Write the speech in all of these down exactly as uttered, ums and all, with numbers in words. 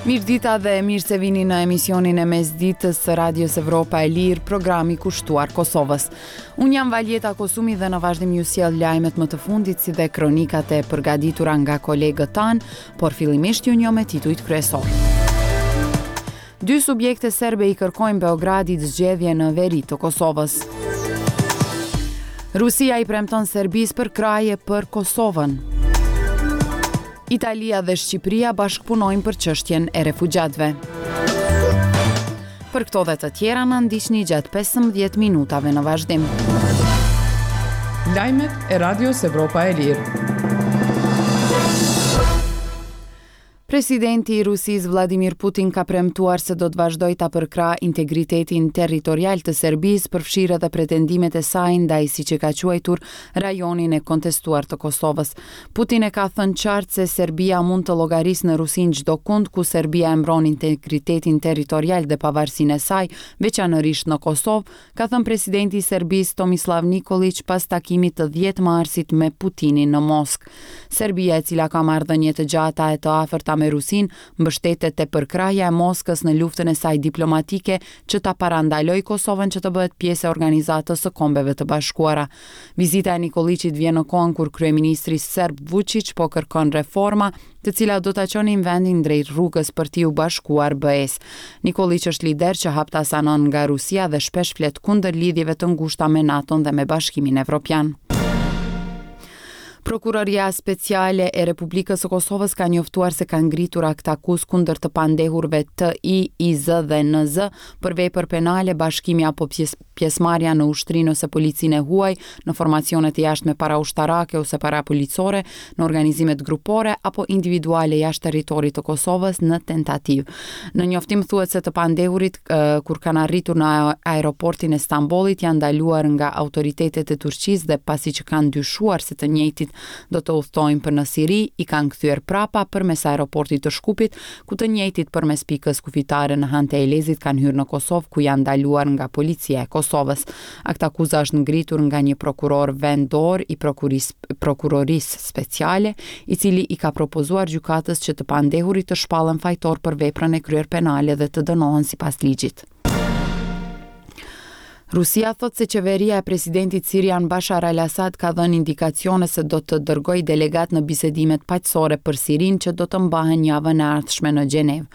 Mirëdita dhe mirë se vini në emisionin e mesditës së Radios Evropa e Lirë, programi kushtuar Kosovës. Unë jam Valjeta Kosumi dhe në vazhdim ju sjell lajmet më të fundit si dhe kronikat e përgatitura nga kolegët tanë, por fillimisht ju njoh me titujt kryesor. Dy subjekte serbe i kërkojnë Beogradit zgjedhje në veri të Kosovës. Rusia i premton Serbisë përkrahje për Kosovën. Italia dhe Shqipëria bashkëpunojnë për çështjen e refugjatëve. Për këto dhe të tjera na ndiqni gjatë pesëmbëdhjetë minutave në vazhdim. Lajmet e Radios Evropa e Lirë. Presidenti i Rusisë Vladimir Putin ka premtuar se do të vazhdojë ta përkrahë integritetin territorial të Serbisë, përfshirë edhe pretendimet e saj ndaj, siç e ka quajtur, rajonin e kontestuar të Kosovës. Putin e ka thënë qartë se Serbia mund të llogarisë në Rusinë çdo kund ku Serbia e mbron integritetin territorial dhe pavarësinë e saj, veçanërisht në Kosovë, ka thënë presidenti i Serbisë Tomislav Nikolić pas takimit të dhjetë marsit me Putinin në Moskë. Serbia, e cila ka marrëdhënie të gjata e të afërta me Rusinë, mbështetet te përkrahja e Moskës në luftën e saj diplomatike që ta parandalojë Kosovën që të bëhet pjesë e Organizatës së Kombeve të Bashkuara. Vizita e Nikoliqit vjen në kohën kur kryeministri serb Vučić po kërkon reforma, të cilat do ta çonin vendin drejt rrugës për t'iu bashkuar B E-s. Nikoliq është lider që haptas anon nga Rusia dhe shpesh flet kundër lidhjeve të ngushta me NATO-n dhe me Bashkimin Evropian. Prokuroria Speciale e Republikës së Kosovës ka njoftuar se ka ngritur aktakuz kundër të pandehurve T I, I Z dhe N Z për vepër penale, bashkimi apo pjes-, pjesëmarrja në ushtrinë ose policinë e huaj, në formacionet e jashtme paraushtarake ose parapolicore, në organizimet grupore apo individuale jashtë territorit të Kosovës në tentativë. Në njoftim thuhet se të pandehurit, eh, kur kanë arritur në aeroportin e Stambollit janë ndaluar nga autoritetet e Turqisë dhe pasi që kanë dyshuar se të njëjtit do të udhtojnë për në Siri, i kanë kthyer prapa përmes aeroportit të Shkupit, ku të njëjtit përmes pikës kufitare në Han të Elezit kanë hyrë në Kosovë, ku janë ndaluar nga policia e Kosovës. Aktakuza është ngritur nga një prokuror vendor i prokuris-, prokurorisë speciale, i cili i ka propozuar gjykatës që të pandehurit të shpallen fajtor për veprën e kryer penale dhe të dënohen sipas ligjit. Rusia thot se qeveria e presidentit sirian Bashar al-Assad ka dhënë indikacione se do të dërgojë delegat në bisedimet paqësore për Sirinë që do të mbahen javën e ardhshme në Gjenevë.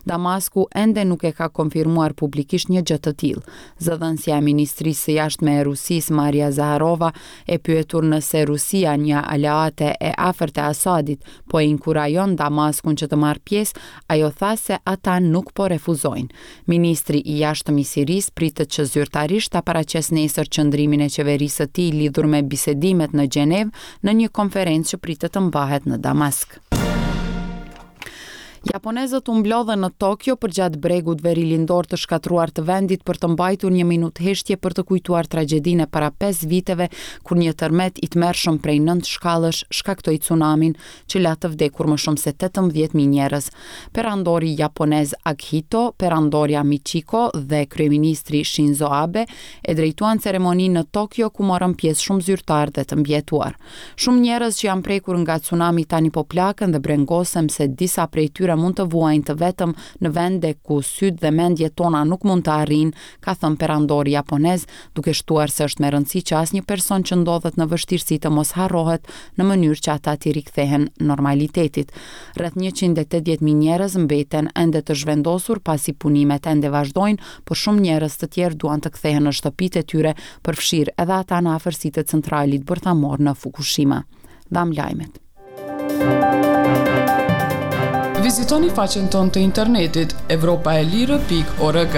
Damasku ende nuk e ka konfirmuar publikisht një gjë të tillë. Zëdhënësja e Ministrisë së Jashtme e Rusisë, Maria Zaharova, e pyetur nëse Rusia, një aleate e afërt e Assadit, po e inkurajon Damaskun që të marrë pjesë, ajo tha se ata nuk po refuzojnë. Ministri i Jashtëm i Sirisë pritet që zyrtarisht ta paraqes nesër qëndrimin e qeverisë së tij lidhur me bisedimet në Gjenevë në një konferencë që pritet të mbahet në Damask. Japonezët u mblodhën në Tokyo përgjatë bregut verilindor të shkatruar të vendit për të mbajtur një minutë heshtje për të kujtuar tragjedinë e para pesë viteve kur një tërmet i tmerrshëm prej nëntë shkallësh shkaktoi tsunamin që la të vdekur më shumë se tetëmbëdhjetë mijë njerëz. Perandori japonez Akihito, perandorja Michiko dhe kryeministri Shinzo Abe e drejtuan ceremoninë në Tokyo ku morën pjesë shumë zyrtarë dhe të mbijetuar. Shumë njerëz që janë prekur nga tsunami tani po plaken dhe brengosem se disa prej tyre mund të vuajnë të vetëm në vende ku sytë dhe mendjet tona nuk mund të arrijnë, ka thënë perandori japonez, duke shtuar se është me rëndësi që asnjë person që ndodhet në vështirësi të mos harrohet në mënyrë që ata t'i rikthehen normalitetit. Rreth njëqind e tetëdhjetë mijë njerëz mbeten ende të zhvendosur pasi punimet ende vazhdojnë, por shumë njerëz të tjerë duan të kthehen në shtëpitë e tyre, përfshirë edhe ata në afërsi të centralit bërthamor në Fukushima. Dham lajmet. Vizitoni faqen tonë të internetit evropa e lirë pikë org.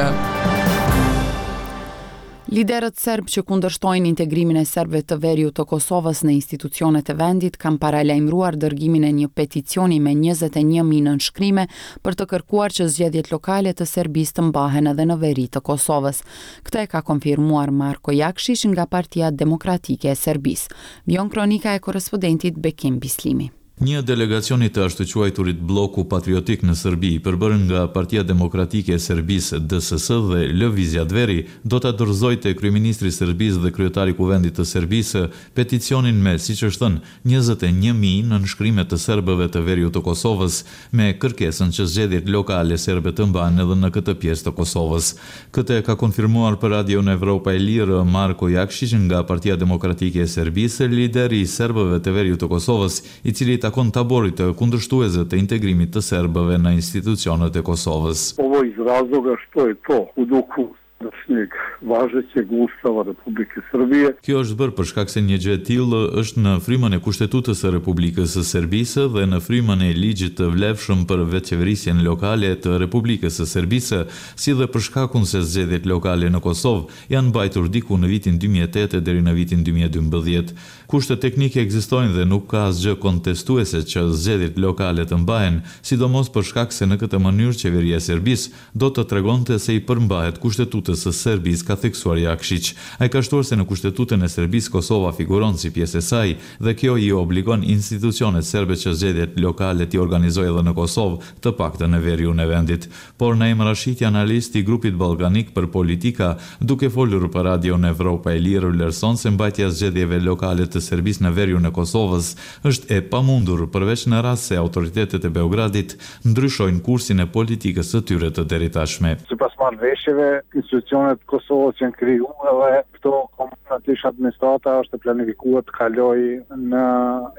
Liderët serb që kundërshtojnë integrimin e serbëve të veriut të Kosovës në institucionet e vendit kanë paralajmëruar dërgimin e një peticioni me njëzet e një mijë nënshkrime për të kërkuar që zgjedhjet lokale të Serbisë të mbahen edhe në veri të Kosovës. Këtë e ka konfirmuar Marko Jakshiq nga Partia Demokratike e Serbisë. Vijon kronika e korespondentit Bekim Bislimi. Një delegacion i të ashtuquajturit Blloku Patriotik në Serbi, i përbërë nga Partia Demokratike e Serbisë, D S S dhe Lëvizja Dveri, do ta dorëzojë te kryeministri i Serbisë dhe kryetari i Kuvendit të Serbisë peticionin me, siç është thënë, njëzet e një mijë nënshkrime të serbëve të veriut të Kosovës, me kërkesën që zgjedhjet lokale serbe të mbahen edhe në këtë pjesë të Kosovës. Këtë e ka konfirmuar për Radion Evropa e Lirë Marko Jakshiq nga Partia Demokratike e Serbisë, lideri i serbëve të veriut të Kosovës, i cili takon taborit të kundërshtuesve të integrimit të serbëve në institucionet e Kosovës. Ovo iz razloga što je to u duhu sadašnjeg važećeg Ustava Republike Srbije. Kjo është bërë për shkak se një gjë e tillë është në frymën e Kushtetutës së Republikës së Serbisë dhe në frymën e ligjit të vlefshëm për vetëqeverisjen lokale të Republikës së Serbisë, si dhe për shkakun se zgjedhjet lokale në Kosovë janë mbajtur diku në vitin dy mijë e tetë deri në vitin dy mijë e dymbëdhjetë. Kushtet teknike ekzistojnë dhe nuk ka asgjë kontestuese që zgjedhjet lokale të mbahen, sidomos për shkak se në këtë mënyrë qeveria e Serbisë do të tregonte se i përmbahet Kushtetutës së Serbisë, ka theksuar Jakshiq. Ai ka shtuar se në Kushtetutën e Serbisë Kosova figuron si pjesë e saj dhe kjo i obligon institucionet serbe që zgjedhjet lokale t'i organizojë edhe në Kosovë, të paktën në veriun e vendit. Por Naim Rashiti, analist i Grupit Ballkanik për Politika, duke folur për Radion Evropa e Lirë, vlerëson se mbajtja e zgjedhjeve lokale të Serbisë në veriun e Kosovës është e pamundur, përveç në rast se autoritetet e Beogradit ndryshojnë kursin e politikës së tyre të deritashme. Sipas marrëveshjeve, institucionet e Kosovës janë krijuar edhe këto komunat, ish administrata është e planifikuar të kaloj në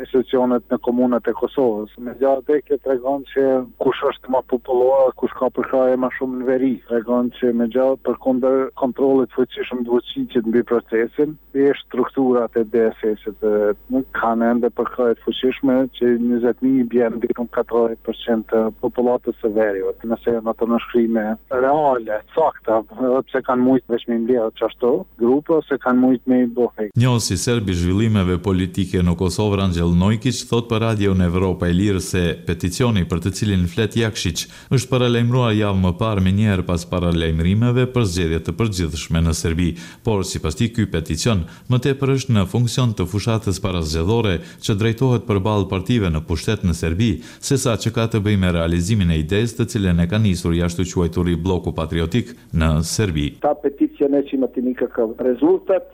institucionet në komunat e Kosovës. Megjithatë, kjo tregon që kush është më popullor, kush ka përkrahje më shumë në veri. Tregon që megjithatë, përkundër kontrollit fuqishëm të Vučićit mbi procesin, thjesht strukturat e D S S-it nuk kanë ende përkrahje të fuqishme, që njëzet mijë bjen diku katërdhjetë për qind të popullatës së veriut. Nëse janë ato nënshkrime reale, sakta, edhe pse kanë mujt veç me mbledhë qashtu grupe, ose kanë mujt me i bo fake. Njohësi serb i zhvillimeve politike në Kosovë, Rangjel Nojkiq, thot për Radion Evropa e Lirë se peticioni për të cilin flet Jakshiq është paralajmëruar javë më parë, menjëherë pas paralajmërimeve për zgjedhje të përgjithshme në Serbi, por sipas tij ky peticion më tepër është në funksion të fushatës parazgjedhore që drejtohet përballë partive në pushtet në Serbi, sesa që ka të bëjë me realizimin e idesë të cilën e ka nisur i ashtuquajturi Bloku Patriotik në Serbi. Ta peticija neće imati nikakav rezultat.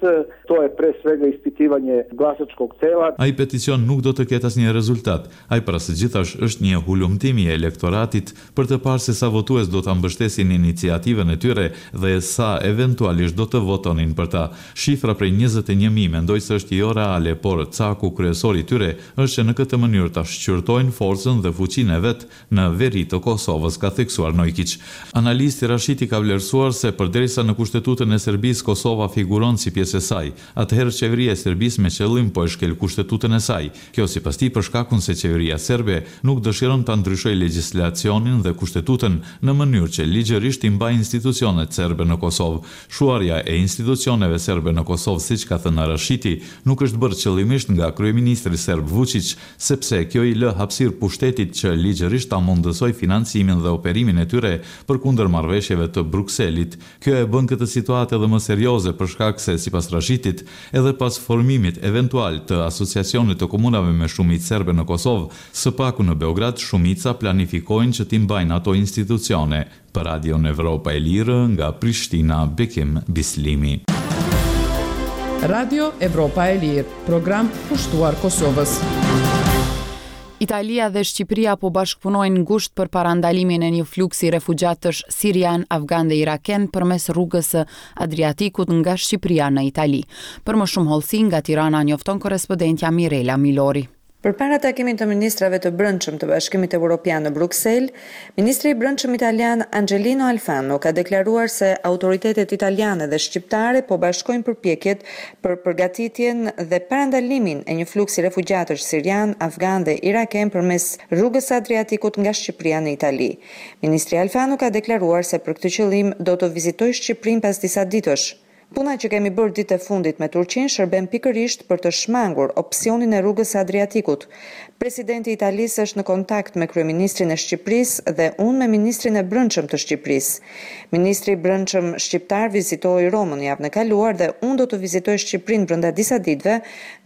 To je pre svega ispitivanje glasačkog tela. Ai peticion nuk do të ketë asnjë rezultat. Ai para së gjithash është një hulumtim i elektoratit për të parë se sa votues do ta mbështesin iniciativën e tyre dhe sa eventualisht do të votonin për ta. Shifra prej njëzet e një mijë mendoj se është jo reale, por caku kryesor i tyre është që në këtë mënyrë ta shqyrtojnë forcën dhe fuqinë e vet në veri të Kosovës, ka theksuar Nojkiq. Analisti Rashiti ka vlerësuar se përderisa në Kushtetutën e Serbisë Kosova figuron si pjesë e saj, atëherë qeveria e Serbisë me qëllim po e shkel Kushtetutën e saj. Kjo sipas tij për shkakun se qeveria serbe nuk dëshiron ta ndryshojë legjislacionin dhe Kushtetutën në mënyrë që ligjërisht i mbajë institucionet serbe në Kosovë. Shuarja e institucioneve serbe në Kosovë, siç ka thënë Rashiti, nuk është bërë qëllimisht nga kryeministri serb Vučić, sepse kjo i lë hapësirë pushtetit që ligjërisht ta mundësoj financimin dhe operimin e tyre përkundër marrëveshjeve të Brukselit. Kjo e bën këtë situatë edhe më serioze për shkak se, sipas Rashitit, edhe pas formimit eventual të asociacionit të komunave me shumicë serbe në Kosovë, së paku në Beograd shumica planifikojnë që t'i mbajnë ato institucione. Për Radion Evropa e Lirë, nga Prishtina, Bekim Bislimi. Radio Evropa e Lirë, program kushtuar Kosovës. Italia dhe Shqipëria po bashkëpunojnë ngushtë për parandalimin e një fluksi refugjatësh sirian, afgan dhe iraken përmes rrugës së Adriatikut nga Shqipëria në Itali. Për më shumë hollësi nga Tirana njofton korrespondentja Mirela Milori. Përpara takimit të ministrave të brendshëm të Bashkimit Evropian në Bruksel, ministri i Brendshëm italian Angelino Alfano ka deklaruar se autoritetet italiane dhe shqiptare po bashkojnë përpjekjet për përgatitjen dhe parandalimin e një fluksi refugjatësh sirian, afgan dhe iraken përmes rrugës së Adriatikut nga Shqipëria në Itali. Ministri Alfano ka deklaruar se për këtë qëllim do të vizitojë Shqipërinë pas disa ditësh. Puna që kemi bërë ditë e fundit me Turqinë shërben pikërisht për të shmangur opsionin e rrugës së Adriatikut. Presidenti i Italisë është në kontakt me kryeministrin e Shqipërisë dhe unë me ministrin e Brendshëm të Shqipërisë. Ministri i Brendshëm shqiptar vizitoi Romën javën e kaluar dhe unë do të vizitoj Shqipërinë brenda disa ditëve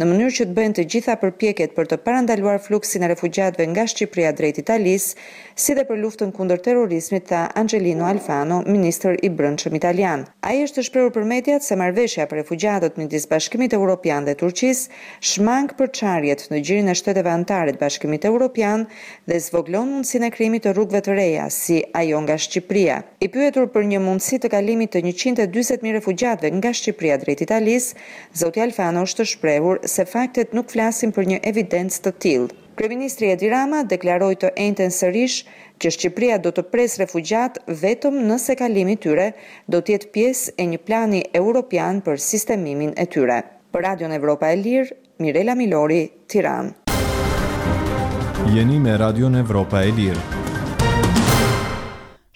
në mënyrë që të bëhen të gjitha përpjekjet për të parandaluar fluksin e refugjatëve nga Shqipëria drejt Italisë, si dhe për luftën kundër terrorizmit, tha Angelino Alfano, ministër i Brendshëm italian. Ai është shprehur për mediat se marrëveshja për refugjatët midis Bashkimit Evropian dhe Turqisë shmang përçarjet në gjirin e shteteve anëtare të Bashkimit Evropian dhe zvogëlon mundësinë e krijimit të rrugëve të reja, si ajo nga Shqipëria. I pyetur për një mundësi të kalimit të njëqind e dyzet mijë refugjatëve nga Shqipëria drejt Italisë, zoti Alfano është shprehur se faktet nuk flasin për një evidencë të tillë. Kryeministri Edi Rama deklaroi të enjten sërish që Shqipëria do të presë refugjat vetëm nëse kalimi i tyre do të jetë pjesë e një plani europian për sistemimin e tyre. Për Radion Evropa e Lirë, Mirela Milori, Tiranë. Jeni me Radion Evropa e Lirë.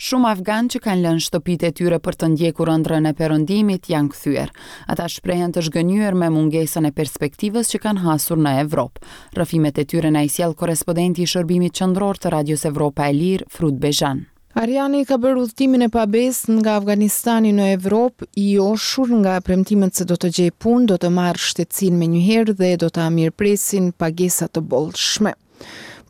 Shumë afganë që kanë lënë shtëpitë e tyre për të ndjekur ëndrrën e perëndimit janë kthyer. Ata shprehen të zhgënjyer me mungesën e perspektivës që kanë hasur në Evropë. Rrëfimet e tyre na i sjell korrespondenti i shërbimit qendror të Radios Evropa e Lirë, Frut Bezhan. Ariani ka bërë udhëtimin e pabesë nga Afganistani në Evropë, i joshur nga premtimet se do të gjejë punë, do të marrë shtetësinë menjëherë dhe do ta mirëpresin pagesa të bollshme.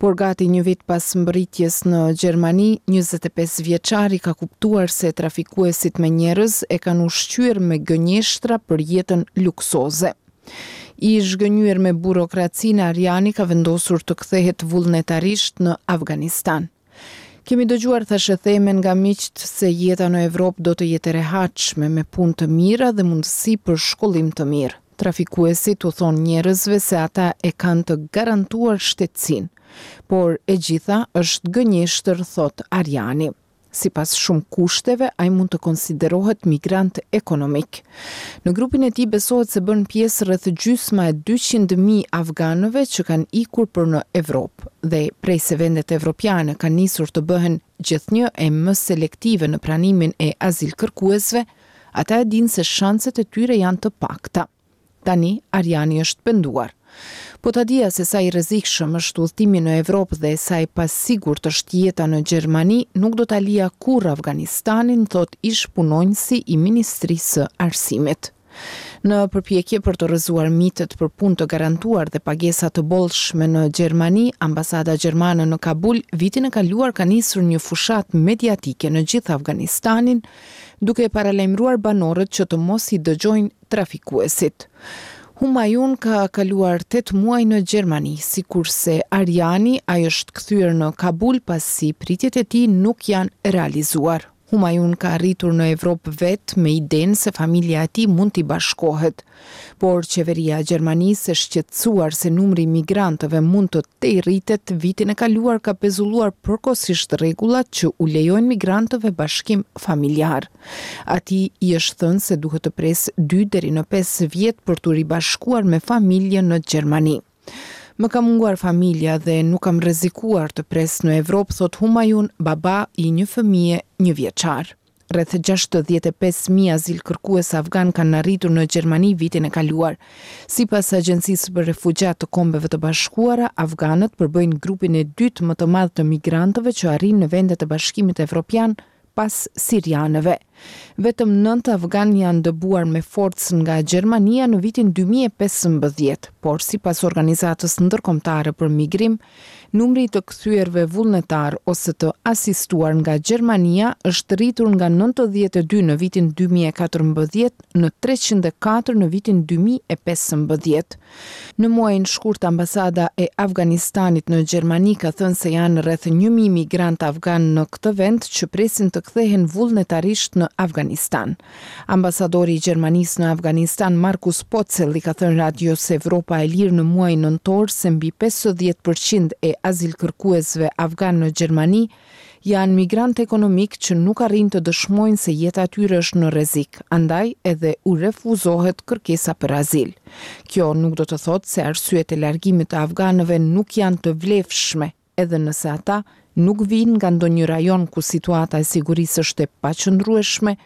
Por gati një vit pas mbërritjes në Gjermani, njëzet e pesë vjeçari ka kuptuar se trafikuesit me njerëz e kanë ushqyer me gënjeshtra për jetën luksoze. I zhgënjyer me burokracinë, Ariani ka vendosur të kthehet vullnetarisht në Afganistan. Kemi dëgjuar thashetheme nga miqtë se jeta në Evropë do të jetë e rehatshme, me punë të mira dhe mundësi për shkollim të mirë. Trafikuesit u thonë njerëzve se ata e kanë të garantuar shtetësinë, por e gjitha është gënjeshtër, thot Ariani. Sipas shumë kushteve, ai mund të konsiderohet migrant ekonomik. Në grupin e tij besohet se bën pjesë rreth gjysma e dyqind mijë afganëve që kanë ikur për në Evropë, dhe prej se vendet evropiane kanë nisur të bëhen gjithnjë e më selektive në pranimin e azilkërkuesve, ata e dinë se shanset e tyre janë të pakta. Tani, Ariani është penduar. Po ta dija se sa i rrezikshëm është udhëtimi në Evropë dhe sa i pasigurt është jeta në Gjermani, nuk do ta lija kurrë Afganistanin, thot ish punonjësi i Ministrisë së Arsimit. Në përpjekje për të rrëzuar mitet për punë të garantuar dhe pagesa të bollshme në Gjermani, ambasada gjermane në Kabul vitin e kaluar ka nisur një fushatë mediatike në gjithë Afganistanin, duke paralajmëruar banorët që të mos i dëgjojnë trafikuesit. Humayun ka kaluar tetë muaj në Gjermani, sikurse Ariani, ai është kthyer në Kabul pasi pritjet e tij nuk janë realizuar. Humayun ka arritur në Evropë vetë me idenë se familja e tij mund t'i bashkohet, por qeveria e Gjermanisë e shqetësuar se numri i migrantëve mund të te rritet vitin e kaluar ka pezulluar përkohësisht rregullat që u lejojnë migrantëve bashkim familjar. Atij i është thënë se duhet të presë dy deri në pesë vjet për t'u ribashkuar me familjen në Gjermani. Më ka munguar familja dhe nuk kam rrezikuar të pres në Evropë, thot Humayun, baba i një fëmije një vjeçar. Rreth gjashtëdhjetë e pesë mijë azilkërkues afgan kanë arritur në Gjermani vitin e kaluar. Sipas Agjencisë për Refugjat të Kombeve të Bashkuara, afganët përbëjnë grupin e dytë më të madh të migrantëve që arrijnë në vendet e Bashkimit Evropian pas sirianëve. Vetëm nëntë afgan janë dëbuar me forcë nga Gjermania në vitin dy mijë e pesëmbëdhjetë, por sipas organizatës ndërkombëtare për migrim, numri i të kthyerve vullnetar ose të asistuar nga Gjermania është rritur nga nëntëdhjetë e dy në vitin dy mijë e katërmbëdhjetë në treqind e katër në vitin dy mijë e pesëmbëdhjetë. Në muajin shkurt, ambasada e Afganistanit në Gjermani ka thënë se janë rreth një mijë migrantë afgan në këtë vend që presin të kthehen vullnetarisht në Afganistan. Ambasadori i Gjermanisë në Afganistan, Markus Potzel, i ka thënë Radios Evropa e Lirë në muajin nëntor se mbi pesëdhjetë përqind e azilkërkuesve afgan në Gjermani janë migrantë ekonomik që nuk arrijnë të dëshmojnë se jeta e tyre është në rrezik, andaj edhe u refuzohet kërkesa për azil. Kjo nuk do të thotë se arsyet e largimit të afganëve nuk janë të vlefshme, edhe nëse ata nuk vijnë nga ndonjë rajon ku situata e sigurisë është e paqëndrueshme,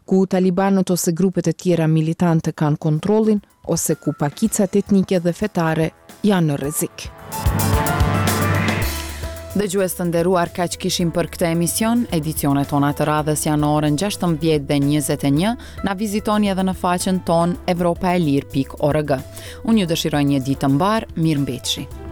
ku talibanët ose grupet e tjera militante kanë kontrollin, ose ku pakicat etnike dhe fetare janë në rrezik. Dëgjues të nderuar, kaq kishim për këtë emision. Edicionet tona të radhës janë në orën gjashtëmbëdhjetë dhe njëzet e një. Na vizitoni edhe në faqen tonë evropaelire pikë org. Unë ju dëshiroj një ditë të mbarë, mirëmbetshi.